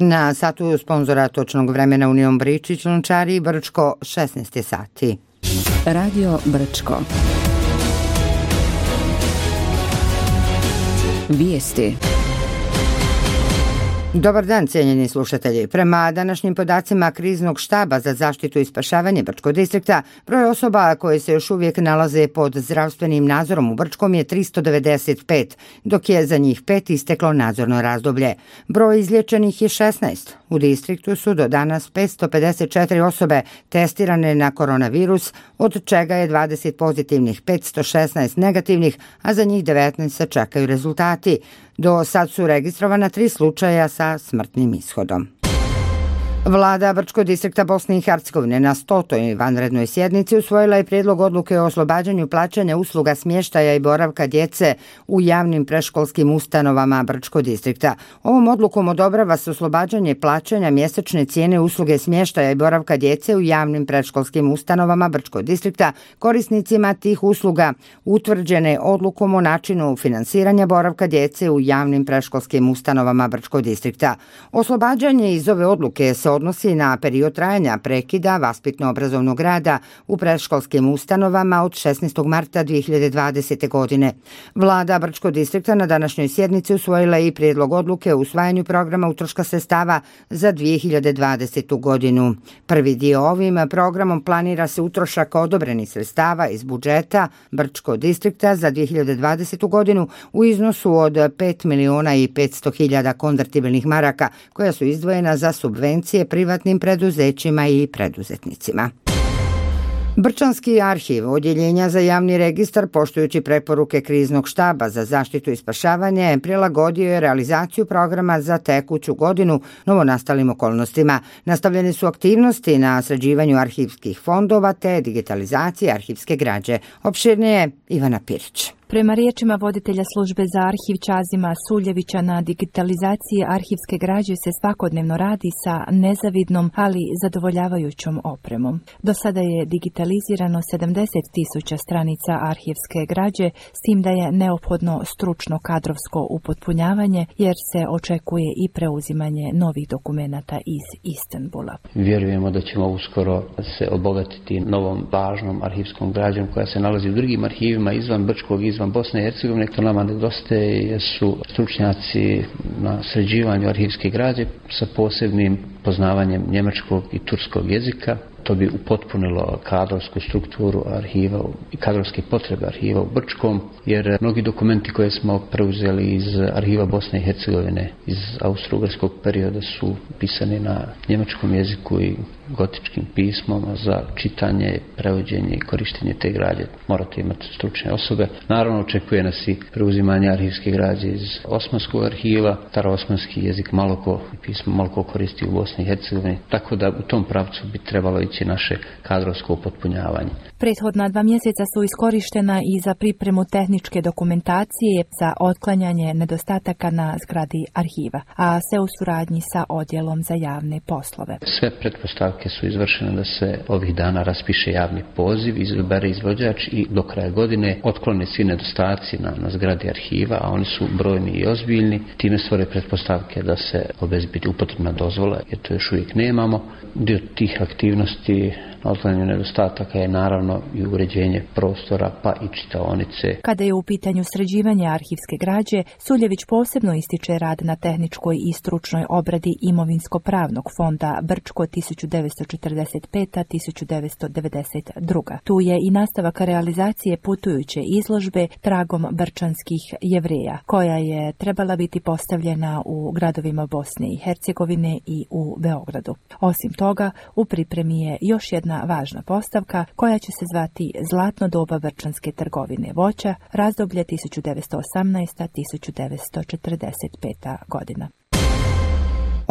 Na satu sponzora točnog vremena Union Bričić, Lončari, Brčko, 16 sati. Radio Brčko. Vijesti. Dobar dan, cijenjeni slušatelji. Prema današnjim podacima Kriznog štaba za zaštitu i spašavanje Brčkog distrikta, broj osoba koje se još uvijek nalaze pod zdravstvenim nadzorom u Brčkom je 395, dok je za njih 5 isteklo nadzorno razdoblje. Broj izliječenih je 16. U distriktu su do danas 554 osobe testirane na koronavirus, od čega je 20 pozitivnih, 516 negativnih, a za njih 19 se čekaju rezultati. Do sad su registrovana 3 slučaja sa smrtnim ishodom. Vlada Brčkog distrikta Bosne i Hercegovine na 100. vanrednoj sjednici usvojila je prijedlog odluke o oslobađanju plaćanja usluga smještaja i boravka djece u javnim predškolskim ustanovama Brčkog distrikta. Ovom odlukom odobrava se oslobađanje plaćanja mjesečne cijene usluge smještaja i boravka djece u javnim predškolskim ustanovama Brčkog distrikta korisnicima tih usluga utvrđene odlukom o načinu finansiranja boravka djece u javnim predškolskim ustanovama Brčkog distrikta. Oslobađanje iz ove odluke se odnosi na period trajanja prekida vaspitno-obrazovnog rada u predškolskim ustanovama od 16. marta 2020. godine. Vlada Brčkog distrikta na današnjoj sjednici usvojila je i prijedlog odluke o usvajanju programa utroška sredstava za 2020. godinu. Prvi dio ovim programom planira se utrošak odobrenih sredstava iz budžeta Brčkog distrikta za 2020. godinu u iznosu od 5.500.000 konvertibilnih maraka koja su izdvojena za subvencije privatnim preduzećima i preduzetnicima. Brčanski arhiv odjeljenja za javni registar, poštujući preporuke Kriznog štaba za zaštitu i spašavanje, prilagodio je realizaciju programa za tekuću godinu novonastalim okolnostima. Nastavljene su aktivnosti na sređivanju arhivskih fondova te digitalizacije arhivske građe. Opširnije Ivana Pirić. Prema riječima voditelja službe za arhiv Čazima Suljevića, na digitalizaciji arhivske građe se svakodnevno radi sa nezavidnom, ali zadovoljavajućom opremom. Do sada je digitalizirano 70.000 stranica arhivske građe, s tim da je neophodno stručno kadrovsko upotpunjavanje, jer se očekuje i preuzimanje novih dokumenata iz Istanbula. Vjerujemo da ćemo uskoro se obogatiti novom važnom arhivskom građom koja se nalazi u drugim arhivima izvan Brčkog, izvan Bosne i Hercegovine. To nama nedostaje su stručnjaci na sređivanju arhivske građe sa posebnim poznavanjem njemačkog i turskog jezika. To bi upotpunilo kadrovsku strukturu arhiva i kadrovske potrebe arhiva u Brčkom, jer mnogi dokumenti koje smo preuzeli iz arhiva Bosne i Hercegovine iz austro-ugarskog perioda su pisani na njemačkom jeziku i gotičkim pismom. Za čitanje, prevođenje i korištenje te građe morate imati stručne osobe. Naravno, očekuje nas i preuzimanje arhivske građe iz Osmanskog arhiva. Staroosmanski jezik malo ko koristi u Bosni i Hercegovini, tako da u tom pravcu bi trebalo ići naše kadrovsko upotpunjavanje. Prethodna 2 mjeseca su iskorištena i za pripremu tehničke dokumentacije za otklanjanje nedostataka na zgradi arhiva, a sve u suradnji sa odjelom za javne poslove. Sve pretpostavke su izvršene da se ovih dana raspiše javni poziv, izabere izvođač i do kraja godine otklone svi nedostaci na zgradi arhiva, a oni su brojni i ozbiljni. Time stvore pretpostavke da se obezbedi upotrebna dozvola, jer to još uvijek nemamo. Dio tih aktivnosti na otklanjanju nedostataka je naravno i uređenje prostora pa i čitaonice. Kada je u pitanju sređivanje arhivske građe, Suljević posebno ističe rad na tehničkoj i stručnoj obradi imovinsko-pravnog fonda Brčko 1995-1992. Tu je i nastavak realizacije putujuće izložbe Tragom brčanskih Jevreja, koja je trebala biti postavljena u gradovima Bosne i Hercegovine i u Beogradu. Osim toga, u pripremi je još jedna važna postavka koja će se zvati Zlatno doba brčanske trgovine voća, razdoblje 1918-1945. godina.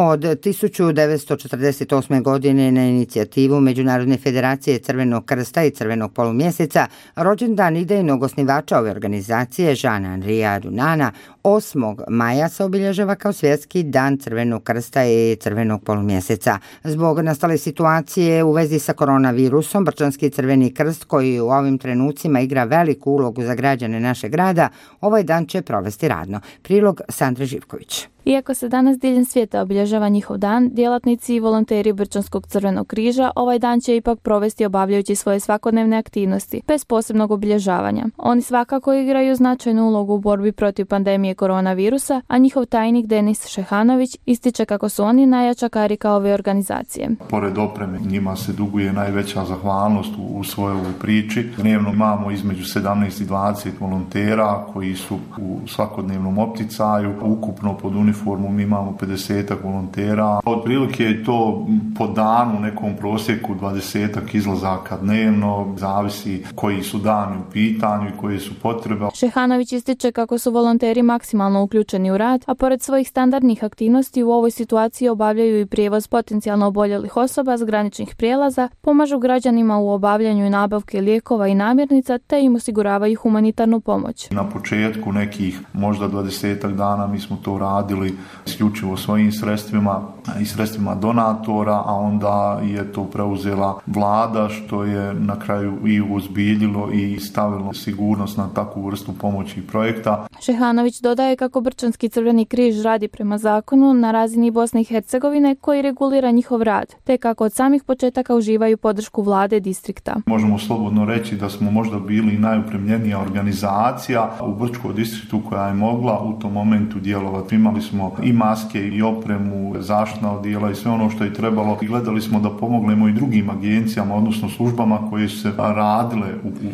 Od 1948. godine na inicijativu Međunarodne federacije Crvenog krsta i Crvenog polumjeseca rođendan idejnog osnivača ove organizacije Žana Andrija Dunana 8. maja se obilježava kao svjetski dan Crvenog krsta i Crvenog polumjeseca. Zbog nastale situacije u vezi sa koronavirusom, Brčanski Crveni krst, koji u ovim trenucima igra veliku ulogu za građane našeg grada, ovaj dan će provesti radno. Prilog Sandre Živković. Iako se danas diljem svijeta obilježava njihov dan, djelatnici i volonteri Brčanskog crvenog križa ovaj dan će ipak provesti obavljajući svoje svakodnevne aktivnosti, bez posebnog obilježavanja. Oni svakako igraju značajnu ulogu u borbi protiv pandemije koronavirusa, a njihov tajnik Denis Šehanović ističe kako su oni najjača karika ove organizacije. Pored opreme, njima se duguje najveća zahvalnost u svojoj priči. Dnevno imamo između 17 i 20 volontera koji su u svakodnevnom opticaju. Ukupno pod uniformom imamo 50 volontera. Otprilike je to po danu u nekom prosjeku 20 izlazaka dnevno, zavisi koji su dani u pitanju i koje su potrebe. Šehanović ističe kako su volonteri maksimalno uključeni u rad, a pored svojih standardnih aktivnosti u ovoj situaciji obavljaju i prijevoz potencijalno oboljelih osoba s graničnih prijelaza, pomažu građanima u obavljanju i nabavke lijekova i namirnica, te im osiguravaju humanitarnu pomoć. Na početku nekih možda 20 dana mi smo to radili isključivo svojim sredstvima i sredstvima donatora, a onda je to preuzela vlada, što je na kraju i uozbiljilo i stavilo sigurnost na takvu vrstu pomoći i projekta. Šehanović dodaje kako Brčanski crveni križ radi prema zakonu na razini Bosne i Hercegovine koji regulira njihov rad, te kako od samih početaka uživaju podršku vlade distrikta. Možemo slobodno reći da smo možda bili najupremljenija organizacija u Brčkom distriktu koja je mogla u tom momentu djelovati. Imali smo i maske i opremu, zaštitna odijela i sve ono što je trebalo. I gledali smo da pomognemo i drugim agencijama, odnosno službama koje su se radile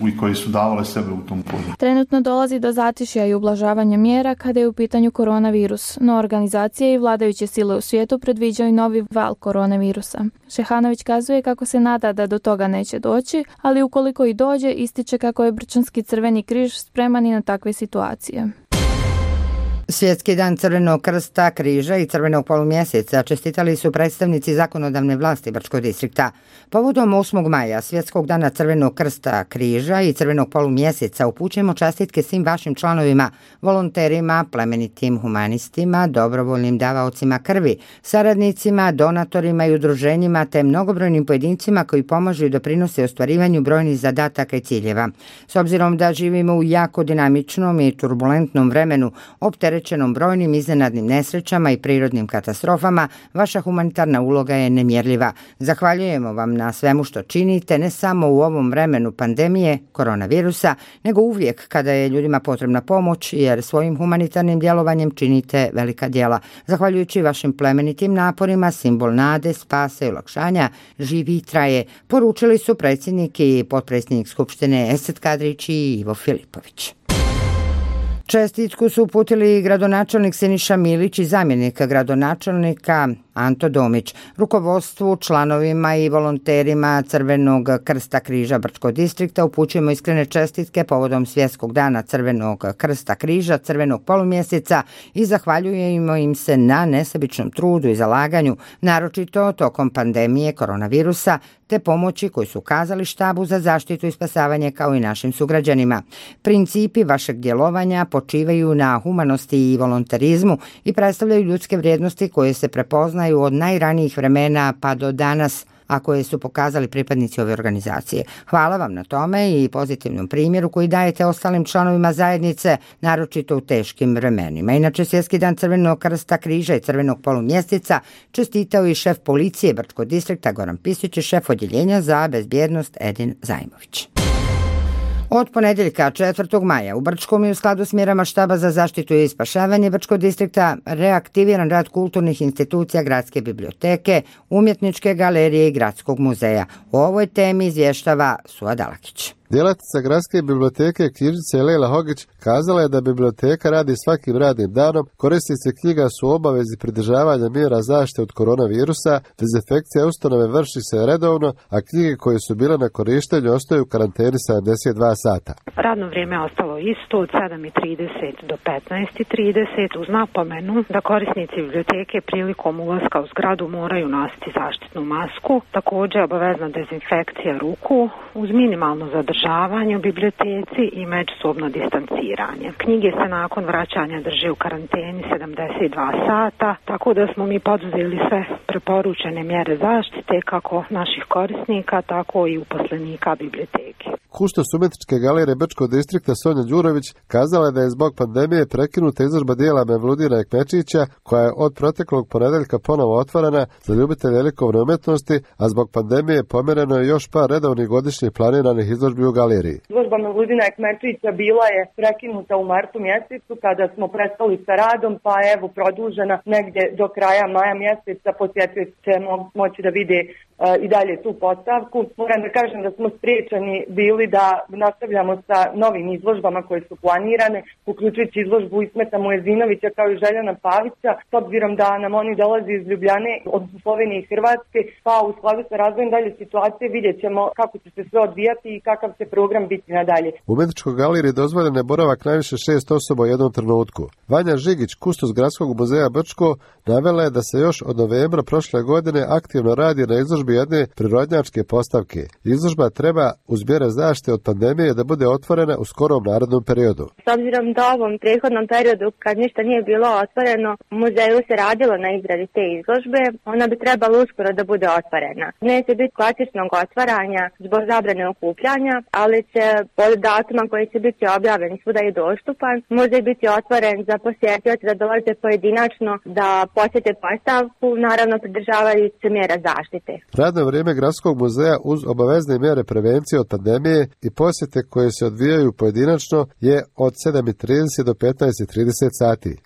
i koje su davale sebe u tom polju. Trenutno dolazi do zatišja i ublažavanja mjera kada je u pitanju koronavirus, no organizacije i vladajuće sile u svijetu predviđaju novi val koronavirusa. Šehanović kazuje kako se nada da do toga neće doći, ali ukoliko i dođe, ističe kako je Brčanski crveni križ spreman i na takve situacije. Svjetski dan Crvenog krsta, križa i Crvenog polumjeseca čestitali su predstavnici zakonodavne vlasti Brčkog distrikta. Povodom 8. maja, Svjetskog dana Crvenog krsta, križa i Crvenog polumjeseca upućujemo čestitke svim vašim članovima, volonterima, plemenitim humanistima, dobrovoljnim davaocima krvi, saradnicima, donatorima i udruženjima te mnogobrojnim pojedincima koji pomažu i doprinose ostvarivanju brojnih zadataka i ciljeva. S obzirom da živimo u jako dinamičnom i turbulentnom vremenu, opterećenom brojnim iznenadnim nesrećama i prirodnim katastrofama, vaša humanitarna uloga je nemjerljiva. Zahvaljujemo vam na svemu što činite, ne samo u ovom vremenu pandemije koronavirusa, nego uvijek kada je ljudima potrebna pomoć, jer svojim humanitarnim djelovanjem činite velika djela. Zahvaljujući vašim plemenitim naporima, simbol nade, spasa i olakšanja živi i traje, poručili su predsjednik i potpredsjednik Skupštine Esad Kadrić i Ivo Filipović. Čestitku su uputili gradonačelnik Siniša Milić i zamjenik gradonačelnika Anto Domić, rukovodstvu, članovima i volonterima Crvenog krsta križa Brčkog distrikta upućujemo iskrene čestitke povodom Svjetskog dana Crvenog krsta križa, Crvenog polumjeseca i zahvaljujemo im se na nesebičnom trudu i zalaganju, naročito tokom pandemije koronavirusa, te pomoći koju su ukazali štabu za zaštitu i spasavanje kao i našim sugrađanima. Principi vašeg djelovanja počivaju na humanosti i volonterizmu i predstavljaju ljudske vrijednosti koje se prepoznaju od najranijih vremena pa do danas, a koje su pokazali pripadnici ove organizacije. Hvala vam na tome i pozitivnom primjeru koji dajete ostalim članovima zajednice, naročito u teškim vremenima. Inače, Svjetski dan Crvenog krsta, križa i Crvenog polumjeseca čestitao i šef policije Brčkog distrikta Goran Pisić i šef odjeljenja za bezbjednost Edin Zajmović. Od ponedjeljka 4. maja u Brčkom i u skladu s mjerama štaba za zaštitu i spašavanje Brčkog distrikta reaktiviran rad kulturnih institucija Gradske biblioteke, Umjetničke galerije i Gradskog muzeja. O ovoj temi izvještava Suad Alakić. Djelatnica Gradske biblioteke knjižnice Lejla Hogić kazala je da biblioteka radi svakim radnim danom, korisnici knjiga su u obavezi pridržavanja mjera zaštite od koronavirusa, dezinfekcija ustanove vrši se redovno, a knjige koje su bile na korištenju ostaju u karanteni 72 sata. Radno vrijeme je ostalo isto od 7:30 do 15:30 uz napomenu da korisnici biblioteke prilikom ulaska u zgradu moraju nositi zaštitnu masku, također obavezna dezinfekcija ruku uz minimalno zadržavanje u biblioteci i međusobno distanciranje. Knjige se nakon vraćanja drže u karanteni 72 sata, tako da smo mi poduzeli sve preporučene mjere zaštite kako naših korisnika, tako i uposlenika biblioteke. kustos umjetničke galerije Brčkog distrikta Sonja Đurović kazala je da je zbog pandemije prekinuta izložba dijela Mevludina Ekmečića, koja je od proteklog ponedeljka ponovo otvorena za ljubitelje likovne umjetnosti, a zbog pandemije pomjereno je još par redovnih godišnjih planiranih izložbi u galeriji. Izložba Mevludina Ekmečića bila je prekinuta u martu mjesecu kada smo prestali sa radom, pa evo produžena negdje do kraja maja mjeseca. Posjetioci će moći da vide i dalje tu postavku. Moram da kažem da smo spriječeni bili da nastavljamo sa novim izložbama koje su planirane, uključujući izložbu Ismeta Mujezinovića kao i Željana Pavića, s obzirom da nam oni dolazi iz Ljubljane, od Slovenije i Hrvatske, pa u skladu sa razvojem dalje situacije vidjet ćemo kako će se sve odvijati i kakav će program biti nadalje. U umjetničkoj galeriji dozvoljen je boravak najviše 6 osoba u jednom trenutku. Vanja Žigić, kustos Gradskog muzeja Brčko, navela je da se još od novembra prošle godine aktivno radi na izložbi jedne prirodnjačke postavke. Izložba treba uz mjere zaštite od pandemije da bude otvorena u skorom narednom periodu. S obzirom da ovom prethodnom periodu kad ništa nije bilo otvoreno, u muzeju se radilo na izradi te izložbe, ona bi trebala uskoro da bude otvorena. Neće biti klasičnog otvaranja zbog zabrane okupljanja, ali će od datuma koji će biti objavljen svuda i dostupan, muzej biti otvoren za posjetioce da dolaze pojedinačno da posjete postavku, naravno pridržavajući se mjera zaštite. Radno vrijeme Gradskog muzeja uz obavezne mjere prevencije od pandemije i posjete koje se odvijaju pojedinačno je od 7:30 do 15:30 sati.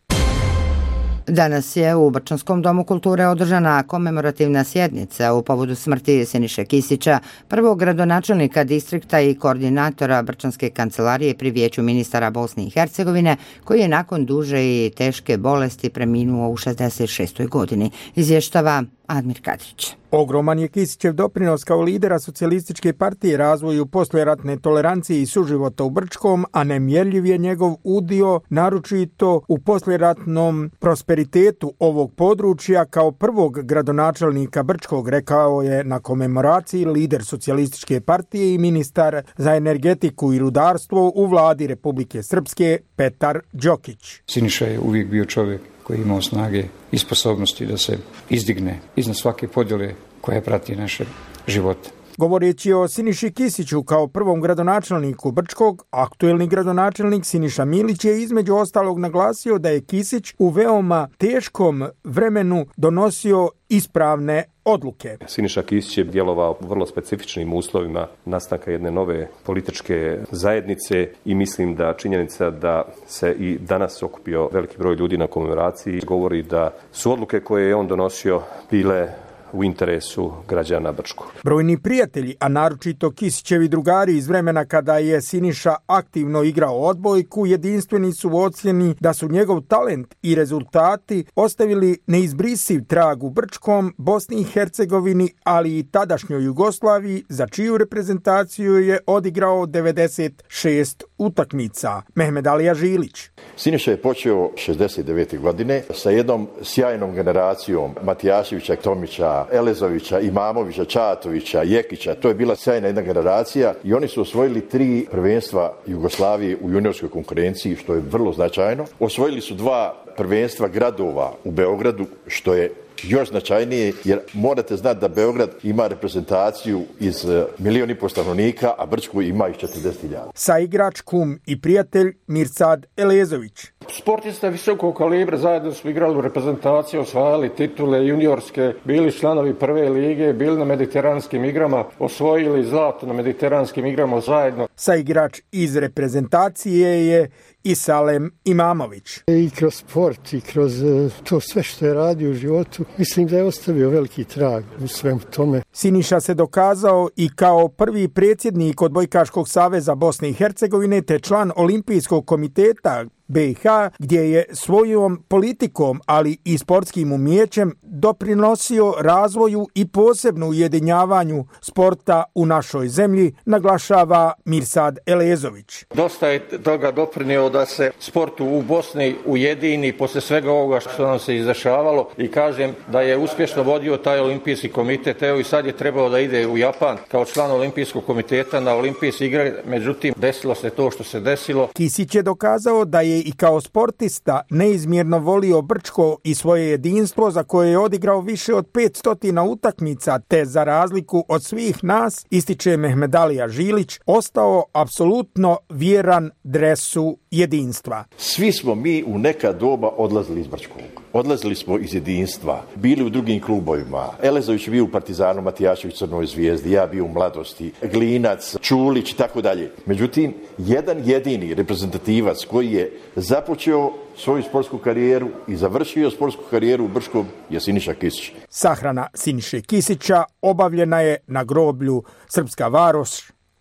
Danas je u Brčanskom domu kulture održana komemorativna sjednica u povodu smrti Siniše Kisića, prvog gradonačelnika distrikta i koordinatora Brčanske kancelarije pri Vijeću ministara Bosne i Hercegovine, koji je nakon duže i teške bolesti preminuo u 66. godini, izvještava Admir Kadrić. Ogroman je Kisićev doprinos kao lidera socijalističke partije razvoju poslijeratne tolerancije i suživota u Brčkom, a nemjerljiv je njegov udio, naročito u poslijeratnom prosperitetu ovog područja kao prvog gradonačelnika Brčkog, rekao je na komemoraciji lider socijalističke partije i ministar za energetiku i rudarstvo u vladi Republike Srpske Petar Đokić. Siniša je uvijek bio čovjek koji je imao snage i sposobnosti da se izdigne iznad svake podjele koja prati naše živote. Govoreći o Siniši Kisiću kao prvom gradonačelniku Brčkog, aktuelni gradonačelnik Siniša Milić je između ostalog naglasio da je Kisić u veoma teškom vremenu donosio ispravne odluke. Siniša Kisić je djelovao u vrlo specifičnim uslovima nastanka jedne nove političke zajednice i mislim da činjenica da se i danas okupio veliki broj ljudi na komemoraciji govori da su odluke koje je on donosio bile u interesu građana Brčkog. Brojni prijatelji, a naročito Kisićevi drugari iz vremena kada je Siniša aktivno igrao odbojku, jedinstveni su u ocjeni da su njegov talent i rezultati ostavili neizbrisiv trag u Brčkom, Bosni i Hercegovini, ali i tadašnjoj Jugoslaviji, za čiju reprezentaciju je odigrao 96 utakmica. Mehmed Alija Žilić. Siniša je počeo 69. godine sa jednom sjajnom generacijom Matijaševića, Tomića, Elezovića, Imamovića, Čatovića, Jekića. To je bila sjajna jedna generacija i oni su osvojili 3 prvenstva Jugoslavije u juniorskoj konkurenciji, što je vrlo značajno. Osvojili su 2 prvenstva gradova u Beogradu, što je još značajnije, jer morate znati da Beograd ima reprezentaciju iz 1,5 milijuna stanovnika, a Brčko ima ih 40.000. Saigrač, kum i prijatelj Mirsad Elezović. Sportista visokog kalibra, zajedno smo igrali u reprezentaciji, osvajali titule juniorske, bili članovi prve lige, bili na mediteranskim igrama, osvojili zlato na mediteranskim igrama zajedno. Saigrač iz reprezentacije je Isalem Imamović. I kroz sport i kroz to sve što je radio u životu, mislim da je ostavio veliki trag u svemu tome. Siniša se dokazao i kao prvi predsjednik Odbojkaškog saveza Bosne i Hercegovine te član Olimpijskog komiteta BiH, gdje je svojom politikom, ali i sportskim umijećem doprinosio razvoju i posebno ujedinjavanju sporta u našoj zemlji, naglašava Mirsad Elezović. Dosta je toga doprinio zapravo da se sportu u Bosni ujedini posle svega ovoga što nam se izdešavalo i kažem da je uspješno vodio taj olimpijski komitet. Evo i sad je trebao da ide u Japan kao član olimpijskog komiteta na olimpijske igre, međutim desilo se to što se desilo. Kisić je dokazao da je i kao sportista neizmjerno volio Brčko i svoje jedinstvo za koje je odigrao više od 500 utakmica, te za razliku od svih nas, ističe Mehmedalija Žilić, ostao apsolutno vjeran dresu jedinstva. Svi smo mi u neka doba odlazili iz Brčkog. Odlazili smo iz jedinstva, bili u drugim klubovima. Elezović je bio u Partizanu, Matijašević Crnoj Zvijezdi, ja bio u Mladosti, Glinac, Čulić i tako dalje. Međutim, jedan jedini reprezentativac koji je započeo svoju sportsku karijeru i završio sportsku karijeru u Brčkom je Siniša Kisić. Sahrana Siniše Kisića obavljena je na groblju Srpska Varoš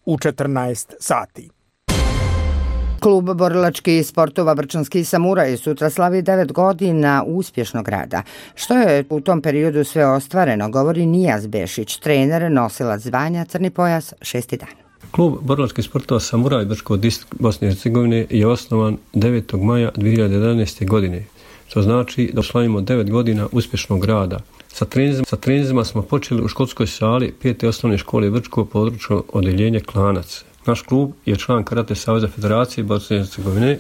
u 14 sati. Klub borilačkih sportova Brčanski samuraj sutra slavi 9 godina uspješnog rada. Što je u tom periodu sve ostvareno, govori Nijaz Bešić, trener, nosilac zvanja Crni pojas 6. dan. Klub borilačkih sportova Samuraj Brčko distrikt Bosne i Hercegovine je osnovan 9. maja 2011. godine. To znači da slavimo 9 godina uspješnog rada. Sa treninzima smo počeli u školskoj sali 5. osnovne škole Brčko, područno odeljenje Klanac. Naš klub je član Karate Saveza Federacije Bosne i Hercegovine,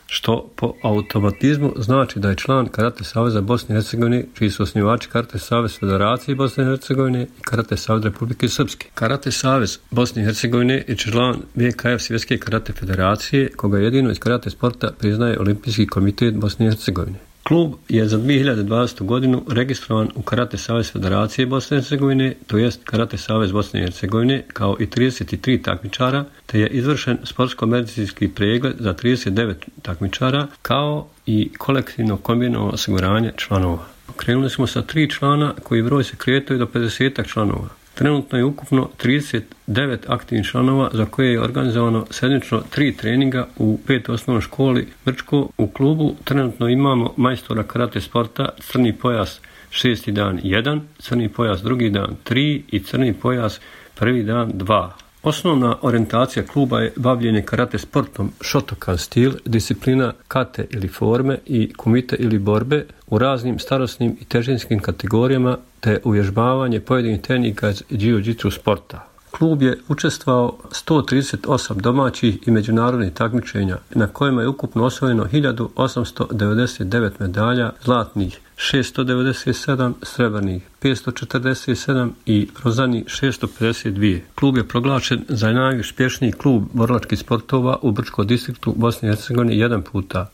što po automatizmu znači da je član Karate Saveza Bosne i Hercegovine, čiji su osnivači Karate Savez Federacije Bosne i Hercegovine i Karate Savez Republike Srpske. Karate Savez Bosne i Hercegovine je član VKF Svjetske Karate Federacije, koga jedino iz karate sporta priznaje Olimpijski komitet Bosne i Hercegovine. Klub je za 2020. godinu registrovan u Karate Savez Federacije Bosne i Hercegovine, to jest Karate Savez Bosne i Hercegovine, kao i 33 takmičara, te je izvršen sportsko-medicinski pregled za 39 takmičara, kao i kolektivno kombinovano osiguranje članova. Krenuli smo sa 3 člana koji broj se kretaju do 50 članova. Trenutno je ukupno 39 aktivnih članova za koje je organizovano sedmično 3 treninga u 5. osnovnoj školi Brčko. U klubu trenutno imamo majstora karate sporta, crni pojas 6. dan 1, crni pojas 2. dan 3 i crni pojas 1. dan 2. Osnovna orijentacija kluba je bavljenje karate sportom Shotokan stil, disciplina kate ili forme i kumite ili borbe u raznim starosnim i težinskim kategorijama te uvježbavanje pojedinih tehnika iz jiu-jitsu sporta. Klub je učestvovao 138 domaćih i međunarodnih takmičenja na kojima je ukupno osvojeno 1899 medalja, zlatnih 697, srebrnih 547 i bronzanih 652. Klub je proglašen za najuspješniji klub borilačkih sportova u Brčkom distriktu Bosne i Hercegovine 1 puta.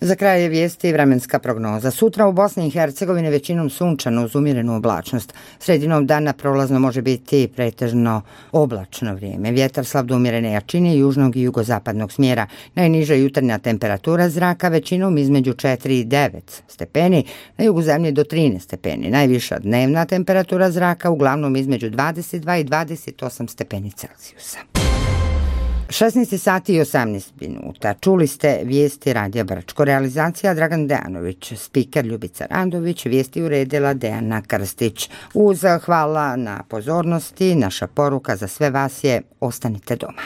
Za kraj je vijesti vremenska prognoza. Sutra u Bosni i Hercegovini većinom sunčano uz umjerenu oblačnost. Sredinom dana prolazno može biti pretežno oblačno vrijeme. Vjetar slab do umjerene jačine južnog i jugozapadnog smjera. Najniža jutarnja temperatura zraka većinom između 4 i 9 stepeni, na jugu zemlje do 13 stepeni. Najviša dnevna temperatura zraka uglavnom između 22 i 28 stepeni Celzijusa. 16 sati i 18 minuta. Čuli ste vijesti Radija Brčko. Realizacija Dragan Dejanović, spiker Ljubica Randović, vijesti uredila Dejana Krstić. Uz hvala na pozornosti, naša poruka za sve vas je: ostanite doma.